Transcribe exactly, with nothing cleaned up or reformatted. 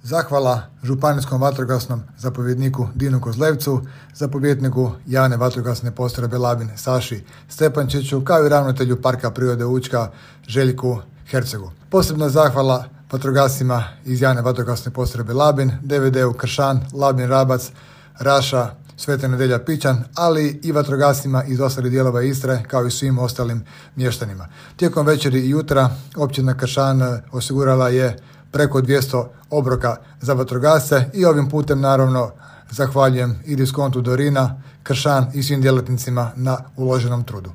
Zahvala županijskom vatrogasnom zapovjedniku Dinu Kozlevcu, zapovjedniku javne vatrogasne postrojbe Labin Saši Stepančiću, kao i ravnatelju Parka prirode Učka Željku Hercegu. Posebno zahvala vatrogascima iz javne vatrogasne postrojbe Labin, D V D-u Kršan, Labin Rabac, Raša, Sveta Nedelja Pićan, ali i vatrogascima iz ostalih dijelova Istre, kao i svim ostalim mještanima. Tijekom večeri i jutra općina Kršan osigurala je preko dvjesto obroka za vatrogasce i ovim putem naravno zahvaljujem i Diskontu Dorina, Kršan i svim djelatnicima na uloženom trudu.